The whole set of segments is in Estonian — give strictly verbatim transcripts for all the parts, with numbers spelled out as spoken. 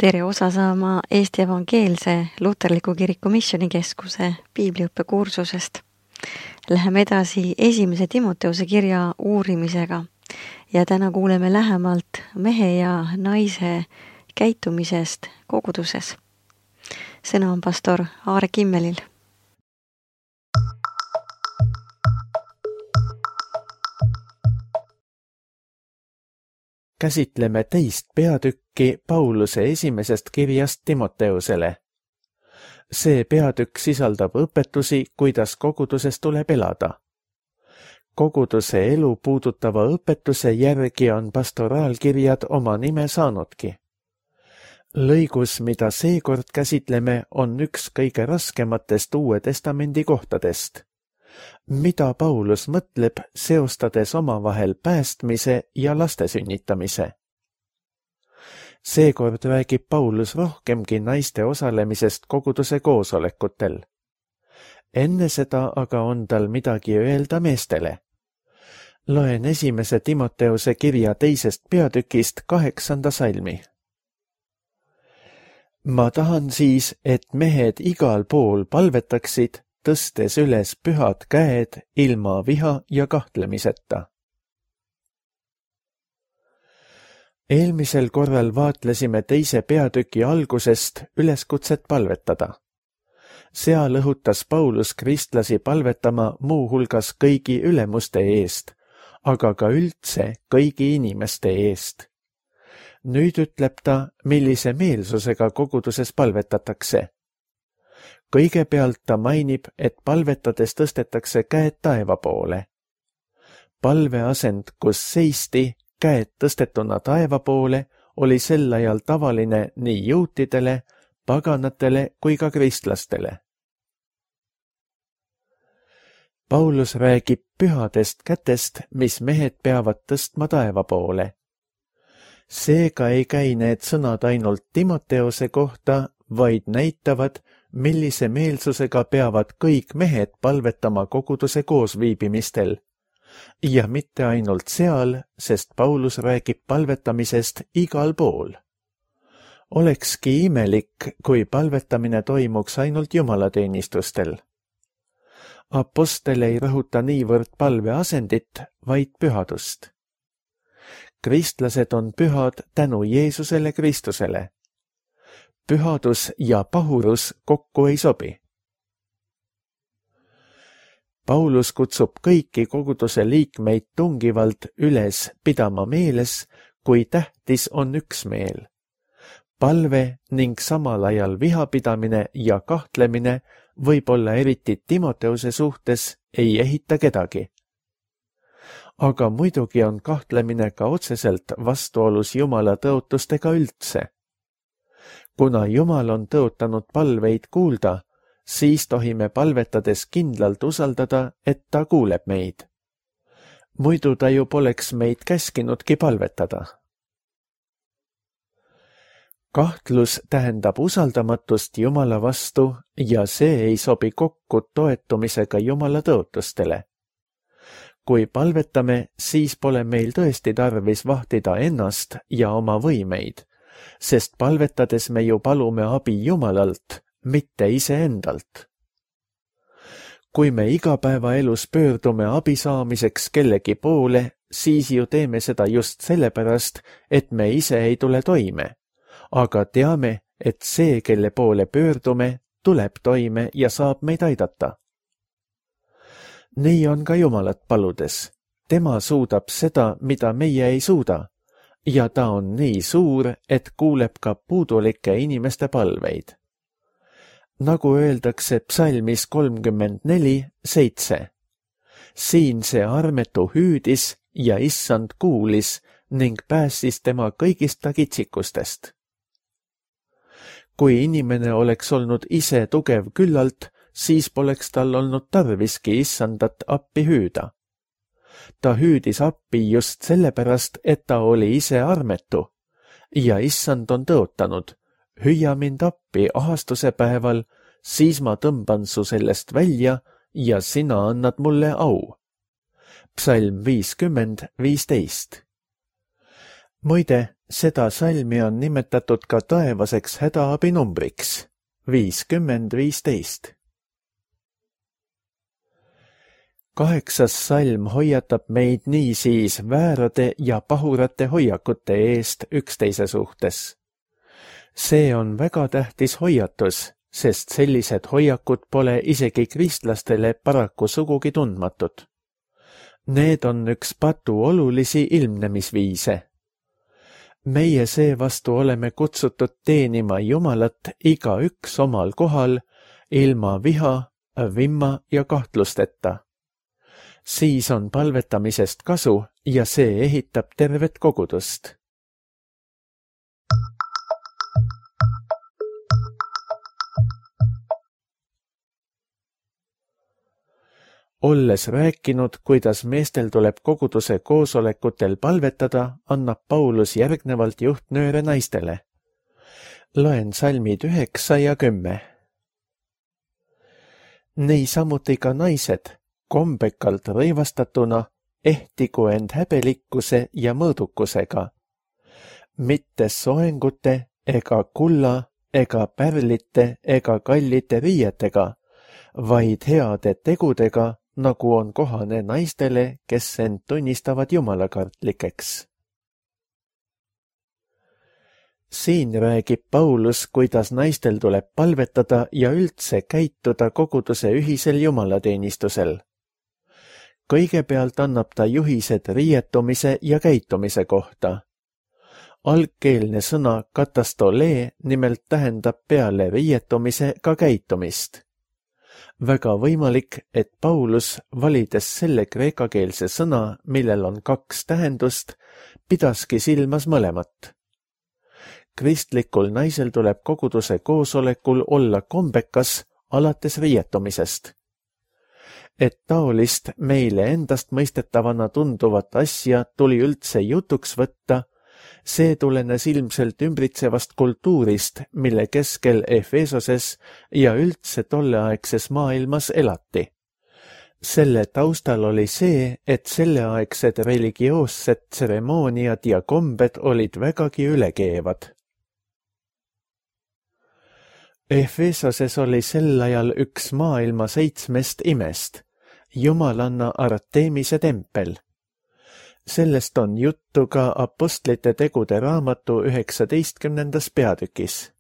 Tere osa saama Eesti Evangeelse Luterliku Kiriku Missioonikeskuse piibliõppekursusest. Läheme edasi esimese Timoteuse kirja uurimisega ja täna kuuleme lähemalt mehe ja naise käitumisest koguduses. Sõna on pastor Aare Kimmelil. Käsitleme teist peatükki Pauluse esimesest kirjast Timoteusele. See peatükk sisaldab õpetusi, kuidas koguduses tuleb elada. Koguduse elu puudutava õpetuse järgi on pastoraalkirjad oma nime saanudki. Lõigus, mida seekord käsitleme, on üks kõige raskematest Uue Testamendi kohtadest. Mida Paulus mõtleb, seostades omavahel päästmise ja laste sünnitamise? Seekord räägib Paulus rohkemgi naiste osalemisest koguduse koosolekutel. Enne seda aga on tal midagi öelda meestele. Loen esimese Timoteuse kirja teisest peatükist kaheksanda salmi. Ma tahan siis, et mehed igal pool palvetaksid, tõstes üles pühad käed ilma viha ja kahtlemiseta. Eelmisel korral vaatlesime teise peatüki algusest üleskutset palvetada. Seal õhutas Paulus kristlasi palvetama muu hulgas kõigi ülemuste eest, aga ka üldse kõigi inimeste eest. Nüüd ütleb ta, millise meelsusega koguduses palvetatakse. Kõigepealt ta mainib, et palvetades tõstetakse käed taeva poole. Palveasend, kus seisti, käed tõstetuna taeva poole, oli sel ajal tavaline nii juutidele, paganatele kui ka kristlastele. Paulus räägib pühadest kätest, mis mehed peavad tõstma taeva poole. Seega ei käi need sõnad ainult Timoteuse kohta, vaid näitavad, millise meelsusega peavad kõik mehed palvetama koguduse koosviibimistel. Ja mitte ainult seal, sest Paulus räägib palvetamisest igal pool. Olekski imelik, kui palvetamine toimuks ainult jumalateenistustel. Apostel ei rõhuta niivõrd palveasendit, vaid pühadust. Kristlased on pühad tänu Jeesusele Kristusele. Pühadus ja pahurus kokku ei sobi. Paulus kutsub kõiki koguduse liikmeid tungivalt üles pidama meeles, kui tähtis on üksmeel. Palve ning samal ajal vihapidamine ja kahtlemine võib olla eriti Timoteuse suhtes ei ehita kedagi. Aga muidugi on kahtlemine ka otseselt vastuolus Jumala tõotustega üldse. Kuna Jumal on tõotanud palveid kuulda, siis tohime palvetades kindlalt usaldada, et ta kuuleb meid. Muidu ta ju poleks meid käskinudki palvetada. Kahtlus tähendab usaldamatust Jumala vastu ja see ei sobi kokku toetumisega Jumala tõotustele. Kui palvetame, siis pole meil tõesti tarvis vahtida ennast ja oma võimeid, sest palvetades me ju palume abi Jumalalt, mitte iseendalt. Kui me igapäevaelus pöördume abi saamiseks kellegi poole, siis ju teeme seda just sellepärast, et me ise ei tule toime, aga teame, et see, kelle poole pöördume, tuleb toime ja saab meid aidata. Nii on ka Jumalat paludes. Tema suudab seda, mida meie ei suuda, ja ta on nii suur, et kuuleb ka puudulike inimeste palveid. Nagu öeldakse psalmis kolmkümmend neli seitse. Siin see armetu hüüdis ja issand kuulis ning päästis tema kõigist kitsikustest. Kui inimene oleks olnud ise tugev küllalt, siis poleks tal olnud tarviski issandat appi hüüda. Ta hüüdis appi just sellepärast, et ta oli ise armetu ja issand on tõotanud, hüüa mind appi ahastuse päeval, siis ma tõmban su sellest välja ja sina annad mulle au. Psalm viiskümmend viisteist. Muide, Seda salmi on nimetatud ka taevaseks hädaabinumbriks viiskümmend viisteist. Kaheksas salm hoiatab meid niisiis väärade ja pahurate hoiakute eest üksteise suhtes. See on väga tähtis hoiatus, sest sellised hoiakud pole isegi kristlastele paraku sugugi tundmatud. Need on üks patu olulisi ilmnemisviise. Meie seevastu oleme kutsutud teenima Jumalat igaüks omal kohal, ilma viha, vimma ja kahtlusteta. Siis on palvetamisest kasu ja see ehitab tervet kogudust. Olles rääkinud, kuidas meestel tuleb koguduse koosolekutel palvetada, annab Paulus järgnevalt juhtnööre naistele. Loen salmid üheksa ja kümme. Nii samuti ka naised, kombekalt rõivastatuna, ehtigu end häbelikkuse ja mõõdukusega, mitte soengute ega kulla ega pärlite ega kallite riietega, vaid heade tegudega, nagu on kohane naistele, kes end tunnistavad jumalakartlikeks. Siin räägib Paulus, kuidas naistel tuleb palvetada ja üldse käituda koguduse ühisel jumalateenistusel. Kõigepealt annab ta juhised riietumise ja käitumise kohta. Algkeelne sõna katastolee nimelt tähendab peale riietumise ka käitumist. Väga võimalik, et Paulus, valides selle kreekakeelse sõna, millel on kaks tähendust, pidaski silmas mõlemat. Kristlikul naisel tuleb koguduse koosolekul olla kombekas alates riietumisest. Et taolist meile endast mõistetavana tunduvat asja tuli üldse jutuks võtta, see tulenes ilmselt ümbritsevast kultuurist, mille keskel Efesoses ja üldse tolleaegses maailmas elati. Selle taustal oli see, et selleaegsed religioossed tseremooniad ja kombed olid vägagi ülekeevad. Efesoses oli sel ajal üks maailma seitsmest imest, jumalanna Artemise tempel. Sellest on juttu ka Apostlite tegude raamatu üheksateistkümnendas peatükis.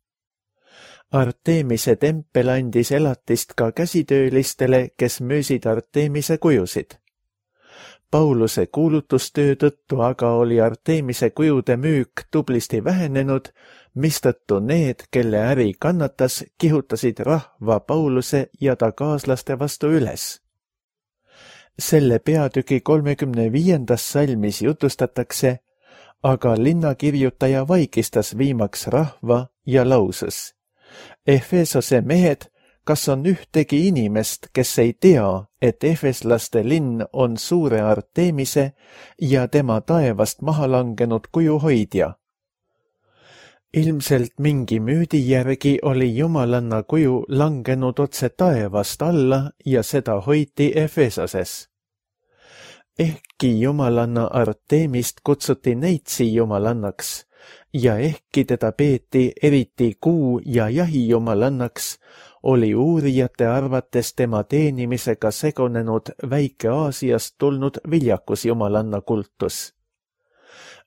Artemise tempel andis elatist ka käsitöölistele, kes müüsid Artemise kujusid. Pauluse kuulutustöö tõttu aga oli Artemise kujude müük tublisti vähenenud, mistõttu need, kelle äri kannatas, kihutasid rahva Pauluse ja ta kaaslaste vastu üles. Selle peatüki kolmekümne viiendas salmis jutustatakse, aga linnakirjutaja vaikistas viimaks rahva ja lausus. Efesose mehed, kas on ühtegi inimest, kes ei tea, et efeslaste linn on suure Artemise ja tema taevast maha langenud kuju hoidja? Ilmselt mingi müüdi järgi oli jumalanna kuju langenud otse taevast alla ja seda hoiti Efesoses. Ehkki jumalanna Artemist kutsuti neitsi jumalannaks ja ehkki teda peeti eriti kuu- ja jahijumalannaks, oli uurijate arvates tema teenimisega segunenud Väike-Aasiast tulnud viljakusjumalanna kultus.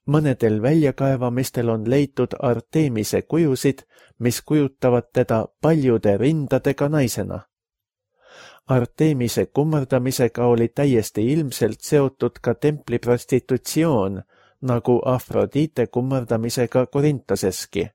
Mõnedel väljakaevamistel on leitud Artemise kujusid, mis kujutavad teda paljude rindadega naisena. Artemise kummardamisega oli täiesti ilmselt seotud ka templi prostitutsioon, nagu Afrodite kummardamisega Korintoseski.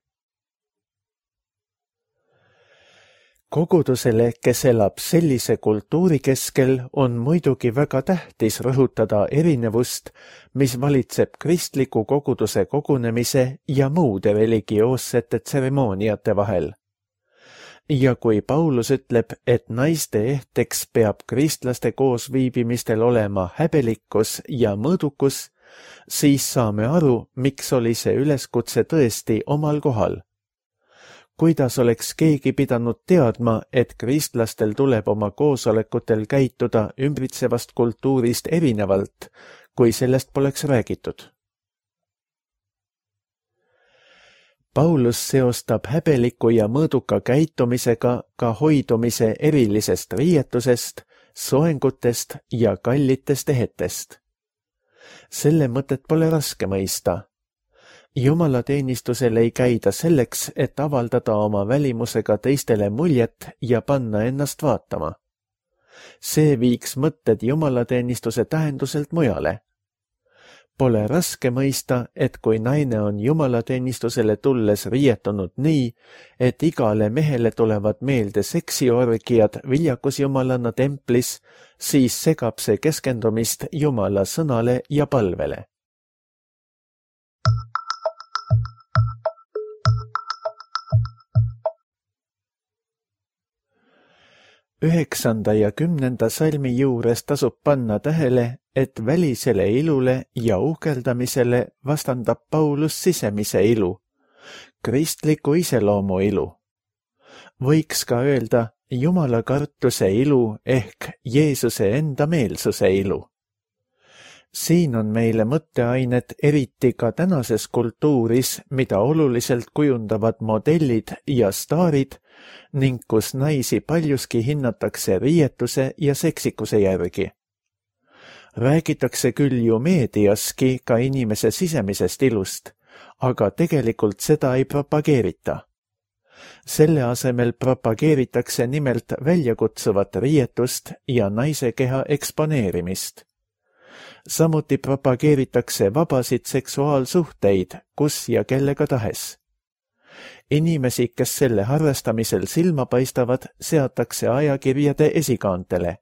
Kogudusele, kes elab sellise kultuuri keskel, on muidugi väga tähtis rõhutada erinevust, mis valitseb kristliku koguduse kogunemise ja muude religioossete tseremooniate vahel. Ja kui Paulus ütleb, et naiste ehteks peab kristlaste koosviibimistel olema häbelikkus ja mõõdukus, siis saame aru, miks oli see üleskutse tõesti omal kohal. Kuidas oleks keegi pidanud teadma, et kristlastel tuleb oma koosolekutel käituda ümbritsevast kultuurist erinevalt, kui sellest poleks räägitud? Paulus seostab häbeliku ja mõõduka käitumisega ka hoidumise erilisest riietusest, soengutest ja kallitest ehetest. Selle mõtet pole raske mõista. Jumalateenistusel ei käida selleks, et avaldada oma välimusega teistele muljet ja panna ennast vaatama. See viiks mõtted jumalateenistuse tähenduselt mujale. Pole raske mõista, et kui naine on jumalateenistusele tulles riietunud nii, et igale mehele tulevad meelde seksiorgiad viljakusjumalana templis, siis segab see keskendumist Jumala sõnale ja palvele. Üheksanda ja kümnenda salmi juures tasub panna tähele, et välisele ilule ja uhkeldamisele vastandab Paulus sisemise ilu, kristliku iseloomu ilu. Võiks ka öelda Jumala kartuse ilu ehk Jeesuse enda meelsuse ilu. Siin on meile mõtteainet eriti ka tänases kultuuris, mida oluliselt kujundavad modellid ja staarid ning kus naisi paljuski hinnatakse riietuse ja seksikuse järgi. Räägitakse küll ju meediaski ka inimese sisemisest ilust, aga tegelikult seda ei propageerita. Selle asemel propageeritakse nimelt väljakutsuvat riietust ja naise keha eksponeerimist. Samuti propageeritakse vabasid seksuaalsuhteid, kus ja kellega tahes. Inimesi, kes selle harrastamisel silma paistavad, seatakse ajakirjade esikaantele.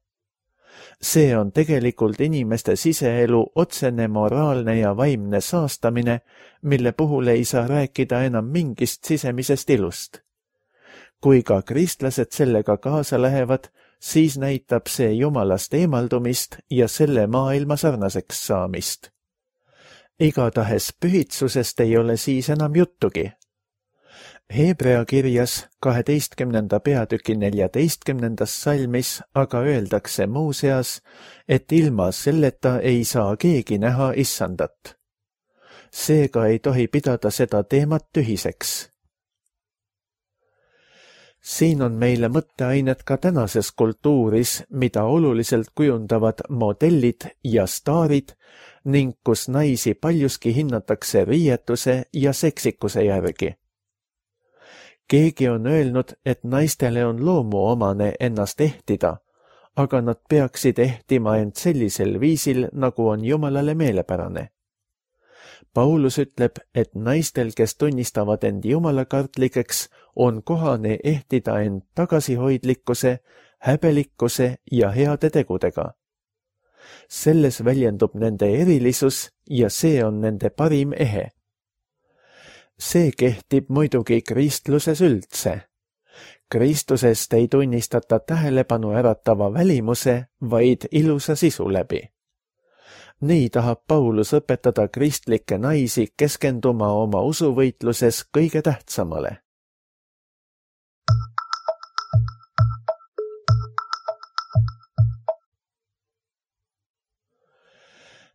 See on tegelikult inimeste siseelu otsene moraalne ja vaimne saastamine, mille puhul ei saa rääkida enam mingist sisemisest ilust. Kui ka kristlased sellega kaasa lähevad, siis näitab see Jumalast eemaldumist ja selle maailma sarnaseks saamist. Igatahes pühitsusest ei ole siis enam juttugi. Hebrea kirjas kaheteistkümnenda peatüki neljateistkümnendas salmis aga öeldakse muuseas, et ilma selleta ei saa keegi näha issandat. Seega ei tohi pidada seda teemat tühiseks. Siin on meile mõtteainet ka tänases kultuuris, mida oluliselt kujundavad modellid ja staarid ning kus naisi paljuski hinnatakse riietuse ja seksikuse järgi. Keegi on öelnud, et naistele on loomuomane ennast ehtida, aga nad peaksid ehtima end sellisel viisil, nagu on Jumalale meelepärane. Paulus ütleb, et naistel, kes tunnistavad end jumalakartlikeks, on kohane ehtida end tagasihoidlikkuse, häbelikkuse ja heade tegudega. Selles väljendub nende erilisus ja see on nende parim ehe. See kehtib muidugi kristluses üldse. Kristusest ei tunnistata tähelepanu äratava välimuse, vaid ilusa sisu läbi. Nii tahab Paulus õpetada kristlikke naisi keskenduma oma usuvõitluses kõige tähtsamale.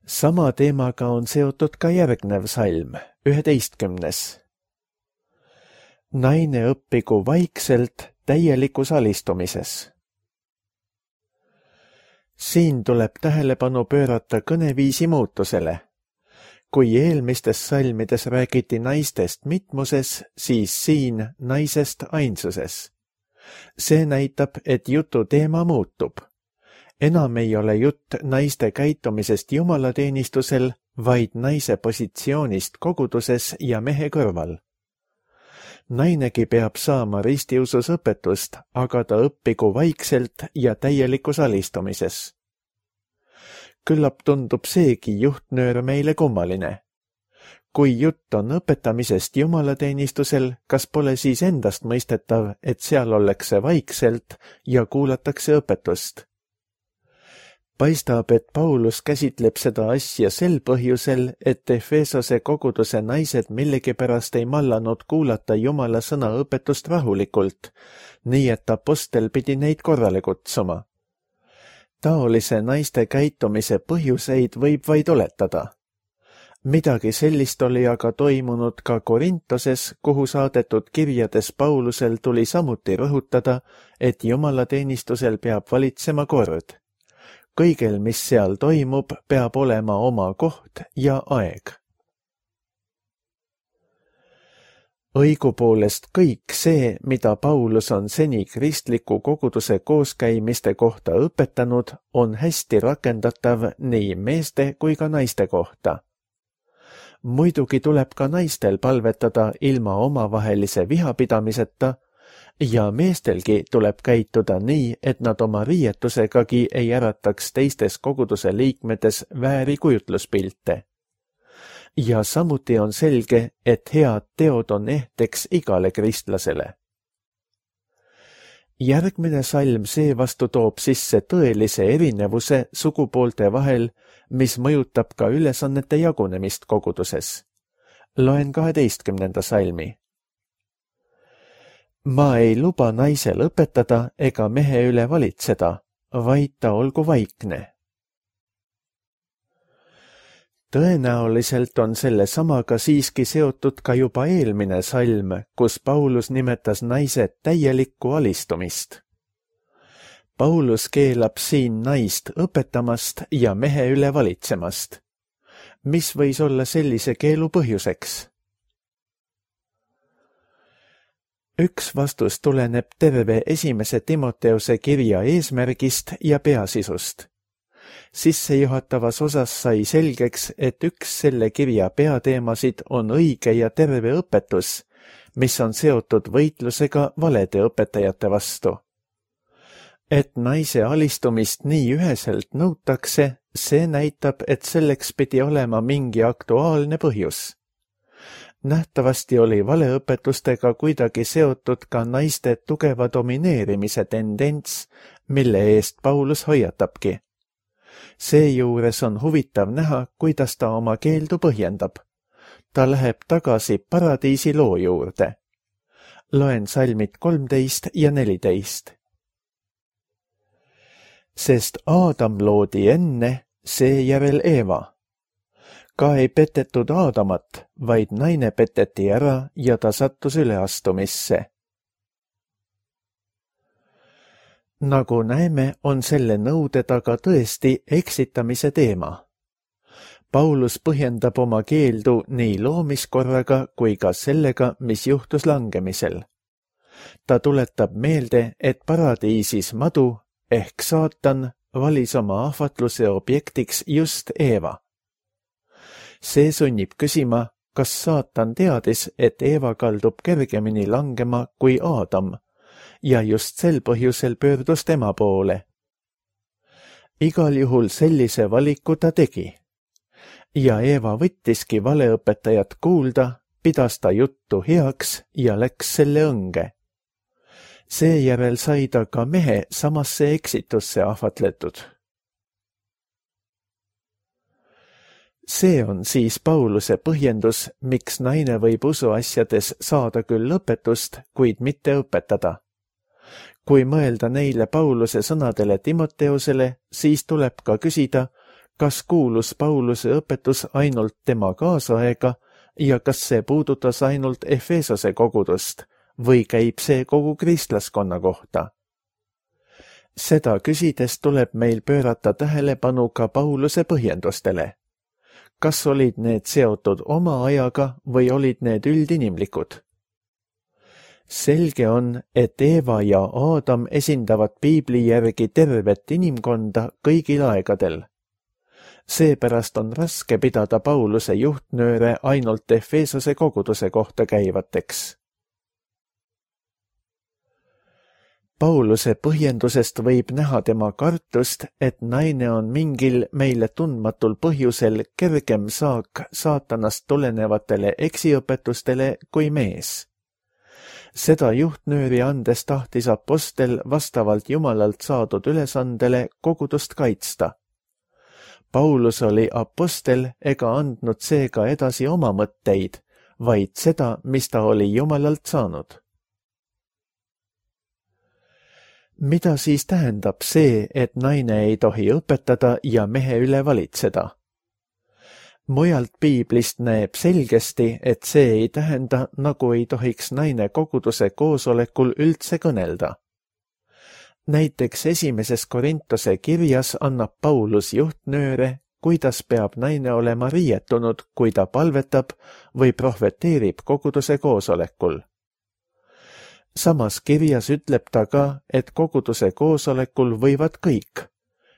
Sama teemaga on seotud ka järgnev salm, üheteistkümnes. Naine õppigu vaikselt täielikus alistumises. Siin tuleb tähelepanu pöörata kõneviisi muutusele. Kui eelmistes salmides räägiti naistest mitmuses, siis siin naisest ainsuses. See näitab, et jutu teema muutub. Enam ei ole jutt naiste käitumisest jumalateenistusel, vaid naise positsioonist koguduses ja mehe kõrval. Nainegi peab saama ristiusus õpetust, aga ta õppigu vaikselt ja täielikus alistumises. Küllap tundub seegi juhtnöör meile kummaline. Kui jutt on õpetamisest jumalateenistusel, kas pole siis endast mõistetav, et seal ollakse vaikselt ja kuulatakse õpetust? Paistab, et Paulus käsitleb seda asja sel põhjusel, et Efesose koguduse naised millegipärast ei mallanud kuulata Jumala sõna õpetust rahulikult, nii et apostel pidi neid korrale kutsuma. Taolise naiste käitumise põhjuseid võib vaid oletada. Midagi sellist oli aga toimunud ka Korintoses, kuhu saadetud kirjades Paulusel tuli samuti rõhutada, et jumalateenistusel peab valitsema kord. Kõigel, mis seal toimub, peab olema oma koht ja aeg. Õigupoolest kõik see, mida Paulus on seni kristliku koguduse kooskäimiste kohta õpetanud, on hästi rakendatav nii meeste kui ka naiste kohta. Muidugi tuleb ka naistel palvetada ilma omavahelise vihapidamiseta ja meestelgi tuleb käituda nii, et nad oma riietusegagi ei ärataks teistes koguduse liikmetes vääri kujutluspilte. Ja samuti on selge, et head teod on ehteks igale kristlasele. Järgmine salm seevastu toob sisse tõelise erinevuse sugupoolte vahel, mis mõjutab ka ülesannete jagunemist koguduses. Loen kaheteistkümnenda salmi. Ma ei luba naisel õpetada ega mehe üle valitseda, vaid ta olgu vaikne. Tõenäoliselt on selle samaga siiski seotud ka juba eelmine salm, kus Paulus nimetas naise täielikku alistumist. Paulus keelab siin naist õpetamast ja mehe üle valitsemast. Mis võis olla sellise keelu põhjuseks? Üks vastus tuleneb terve esimese Timoteuse kirja eesmärgist ja peasisust. Sissejuhatavas osas sai selgeks, et üks selle kirja peateemasid on õige ja terve õpetus, mis on seotud võitlusega valede õpetajate vastu. Et naise alistumist nii üheselt nõutakse, see näitab, et selleks pidi olema mingi aktuaalne põhjus. Nähtavasti oli valeõpetustega kuidagi seotud ka naiste tugeva domineerimise tendents, mille eest Paulus hoiatabki. Seejuures on huvitav näha, kuidas ta oma keeldu põhjendab. Ta läheb tagasi paradiisi loo juurde. Loen salmid kolmteist ja neliteist. Sest Aadam loodi enne, seejärel Eeva. Ka ei petetud Aadamat, vaid naine peteti ära ja ta sattus üleastumisse. Nagu näeme, on selle nõude taga tõesti eksitamise teema. Paulus põhjendab oma keeldu nii loomiskorraga kui ka sellega, mis juhtus langemisel. Ta tuletab meelde, et paradiisis madu ehk saatan valis oma ahvatluse objektiks just Eeva. See sunnib küsima, kas saatan teadis, et Eeva kaldub kergemini langema kui Aadam, ja just sel põhjusel pöördus tema poole. Igal juhul sellise valiku ta tegi. Ja Eeva võttiski valeõpetajat kuulda, pidas ta juttu heaks ja läks selle õnge. Seejärel sai ta ka mehe samasse eksitusse ahvatletud. See on siis Pauluse põhjendus, miks naine võib usuasjades saada küll õpetust, kuid mitte õpetada. Kui mõelda neile Pauluse sõnadele Timoteusele, siis tuleb ka küsida, kas kuulus Pauluse õpetus ainult tema kaasaega ja kas see puudutas ainult Efesose kogudust või käib see kogu kristlaskonna kohta. Seda küsides tuleb meil pöörata tähelepanu ka Pauluse põhjendustele. Kas olid need seotud oma ajaga või olid need üldinimlikud? Selge on, et Eeva ja Aadam esindavad piibli järgi tervet inimkonda kõigil aegadel. Seepärast on raske pidada Pauluse juhtnööre ainult Efesose koguduse kohta käivateks. Pauluse põhjendusest võib näha tema kartust, et naine on mingil meile tundmatul põhjusel kergem saak saatanast tulenevatele eksiõpetustele kui mees. Seda juhtnööri andes tahtis apostel vastavalt Jumalalt saadud ülesandele kogudust kaitsta. Paulus oli apostel ega andnud seega edasi oma mõtteid, vaid seda, mis ta oli Jumalalt saanud. Mida siis tähendab see, et naine ei tohi õpetada ja mehe üle valitseda? Mujalt piiblist näeb selgesti, et see ei tähenda, nagu ei tohiks naine koguduse koosolekul üldse kõnelda. Näiteks esimeses Korintuse kirjas annab Paulus juhtnööre, kuidas peab naine olema riietunud, kui ta palvetab või prohveteerib koguduse koosolekul. Samas kirjas ütleb ta ka, et koguduse koosolekul võivad kõik,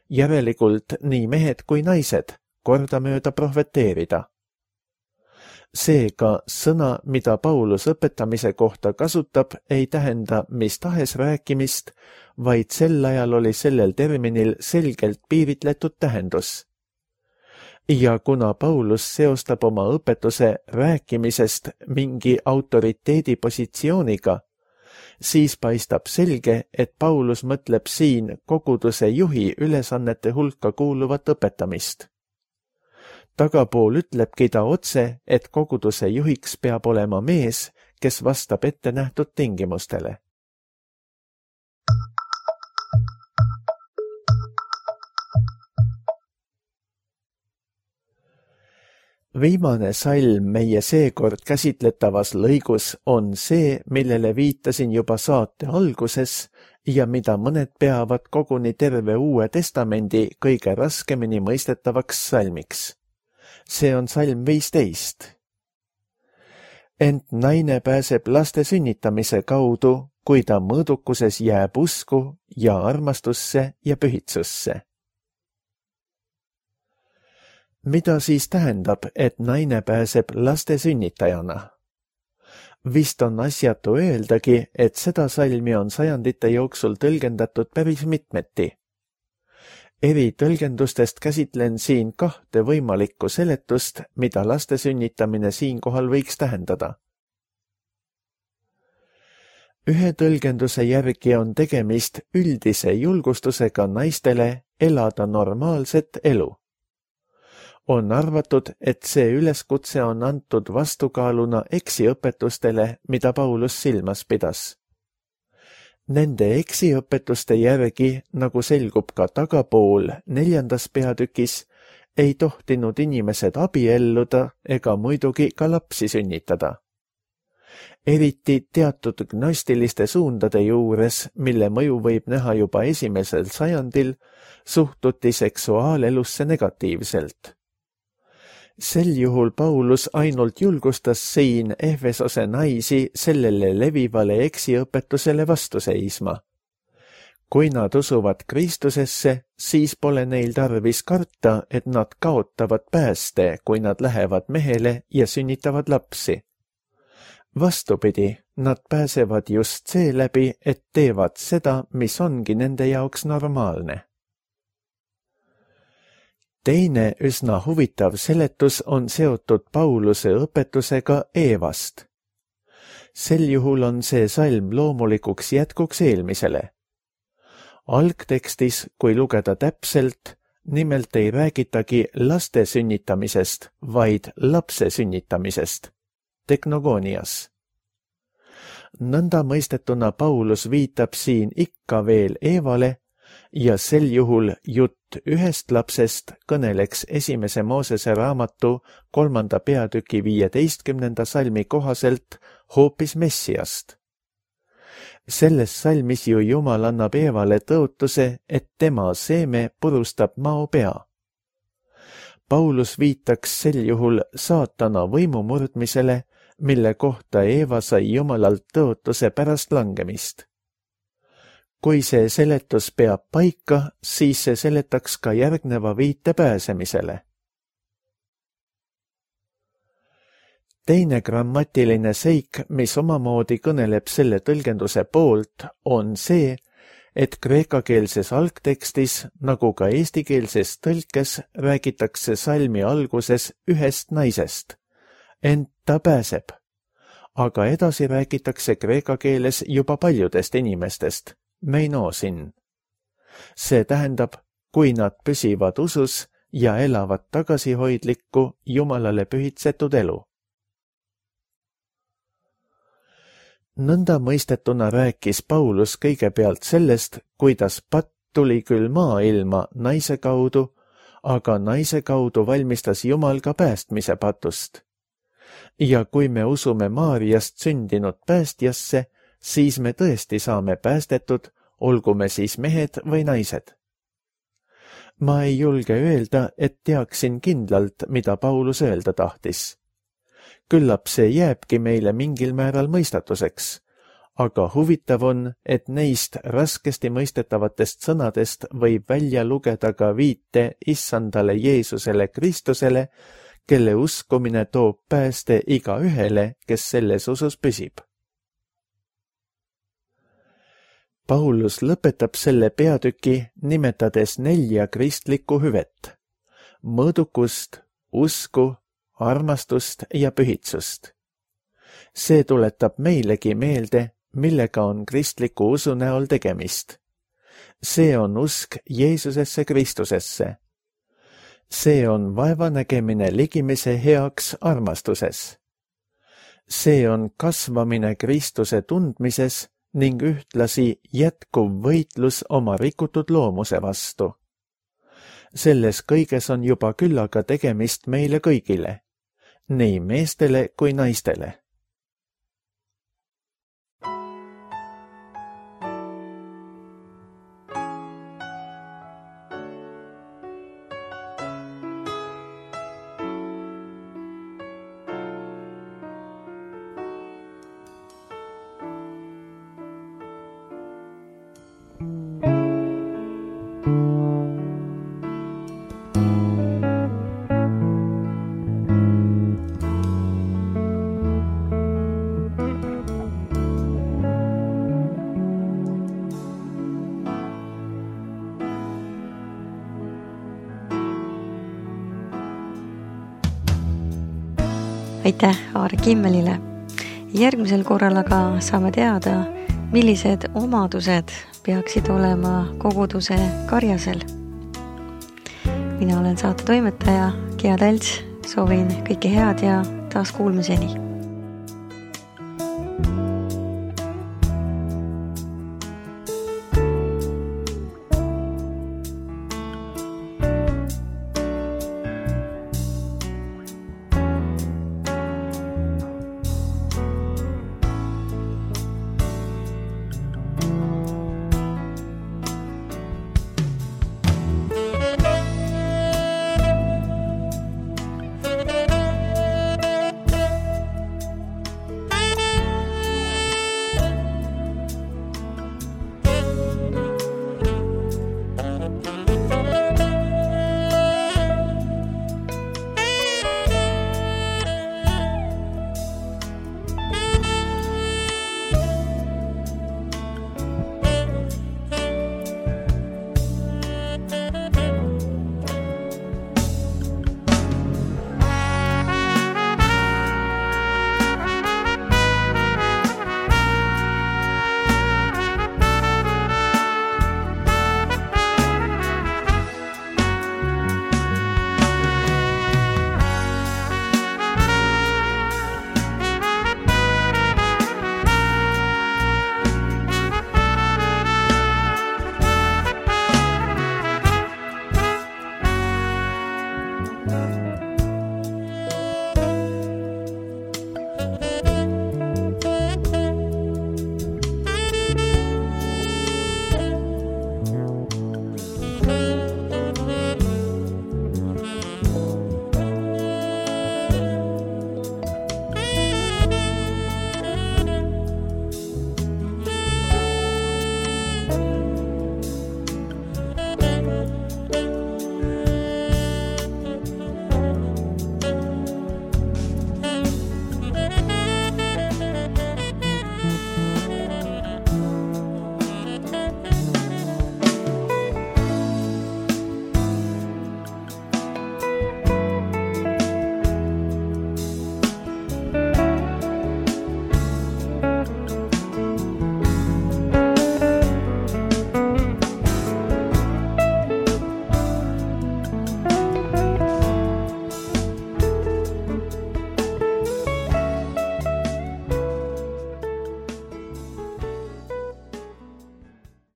järelikult nii mehed kui naised, kordamööda prohveteerida. Seega sõna, mida Paulus õpetamise kohta kasutab, ei tähenda mis tahes rääkimist, vaid sel ajal oli sellel terminil selgelt piiritletud tähendus. Ja kuna Paulus seostab oma õpetuse rääkimisest mingi autoriteedipositsiooniga, siis paistab selge, et Paulus mõtleb siin koguduse juhi ülesannete hulka kuuluvat õpetamist. Tagapool ütlebki ta otse, et koguduse juhiks peab olema mees, kes vastab ette nähtud tingimustele. Viimane salm meie seekord käsitletavas lõigus on see, millele viitasin juba saate alguses ja mida mõned peavad koguni terve Uue Testamendi kõige raskemini mõistetavaks salmiks. See on salm viisteist. Ent naine pääseb laste sünnitamise kaudu, kui ta mõõdukuses jääb usku ja armastusse ja pühitsusse. Mida siis tähendab, et naine pääseb laste sünnitajana? Vist on asjatu öeldagi, et seda salmi on sajandite jooksul tõlgendatud päris mitmeti. Eri tõlgendustest käsitlen siin kahte võimalikku seletust, mida laste sünnitamine siinkohal võiks tähendada. Ühe tõlgenduse järgi on tegemist üldise julgustusega naistele elada normaalset elu. On arvatud, et see üleskutse on antud vastukaaluna eksiõpetustele, mida Paulus silmas pidas. Nende eksiõpetuste järgi, nagu selgub ka tagapool neljandas peatükis, ei tohtinud inimesed abielluda ega muidugi ka lapsi sünnitada. Eriti teatud gnostiliste suundade juures, mille mõju võib näha juba esimesel sajandil, suhtuti seksuaalelusse negatiivselt. Sel juhul Paulus ainult julgustas siin Efesose naisi sellele levivale eksiõpetusele vastu seisma. Kui nad usuvad Kristusesse, siis pole neil tarvis karta, et nad kaotavad pääste, kui nad lähevad mehele ja sünnitavad lapsi. Vastupidi, nad pääsevad just seeläbi, et teevad seda, mis ongi nende jaoks normaalne. Teine üsna huvitav seletus on seotud Pauluse õpetusega Eevast. Sel juhul on see salm loomulikuks jätkuks eelmisele. Algtekstis, kui lugeda täpselt, nimelt ei räägitagi laste sünnitamisest, vaid lapse sünnitamisest, teknogonias. Nõnda mõistetuna Paulus viitab siin ikka veel Eevale, ja sel juhul jutt ühest lapsest kõneleks esimese Moosese raamatu kolmanda peatüki viieteistkümnenda salmi kohaselt hoopis Messiast. Selles salmis ju Jumal annab Eevale tõotuse, et tema seeme purustab mao pea. Paulus viitaks sel juhul saatana võimu murdmisele, mille kohta Eeva sai Jumalalt tõotuse pärast langemist. Kui see seletus peab paika, siis see seletaks ka järgneva viite pääsemisele. Teine grammatiline seik, mis omamoodi kõneleb selle tõlgenduse poolt, on see, et kreekakeelses algtekstis, nagu ka eestikeelses tõlkes, räägitakse salmi alguses ühest naisest, ent ta pääseb. Aga edasi räägitakse kreeka keeles juba paljudest inimestest. Meinosin. See tähendab, kui nad püsivad usus ja elavad tagasihoidlikku Jumalale pühitsetud elu. Nõnda mõistetuna rääkis Paulus kõigepealt sellest, kuidas patt tuli küll maailma naise kaudu, aga naise kaudu valmistas Jumal ka päästmise patust. Ja kui me usume Maariast sündinud päästjasse, siis me tõesti saame päästetud, olgu me siis mehed või naised. Ma ei julge öelda, et teaksin kindlalt, mida Paulus öelda tahtis. Küllap see jääbki meile mingil määral mõistatuseks, aga huvitav on, et neist raskesti mõistetavatest sõnadest võib välja lugeda ka viite issandale Jeesusele Kristusele, kelle uskumine toob pääste igaühele, kes selles usus püsib. Paulus lõpetab selle peatüki nimetades nelja kristlikku hüvet: mõõdukust, usku, armastust ja pühitsust. See tuletab meilegi meelde, millega on kristliku usu näol tegemist. See on usk Jeesusesse Kristusesse. See on vaevanägemine ligimise heaks armastuses. See on kasvamine Kristuse tundmises ning ühtlasi jätkuv võitlus oma rikutud loomuse vastu. Selles kõiges on juba küllaga tegemist meile kõigile, nii meestele kui naistele. Aitäh Aare Kimmelile. Järgmisel korral aga saame teada, millised omadused peaksid olema koguduse karjasel. Mina olen saate toimetaja Gea Talts, soovin kõike head ja taas kuulmiseni.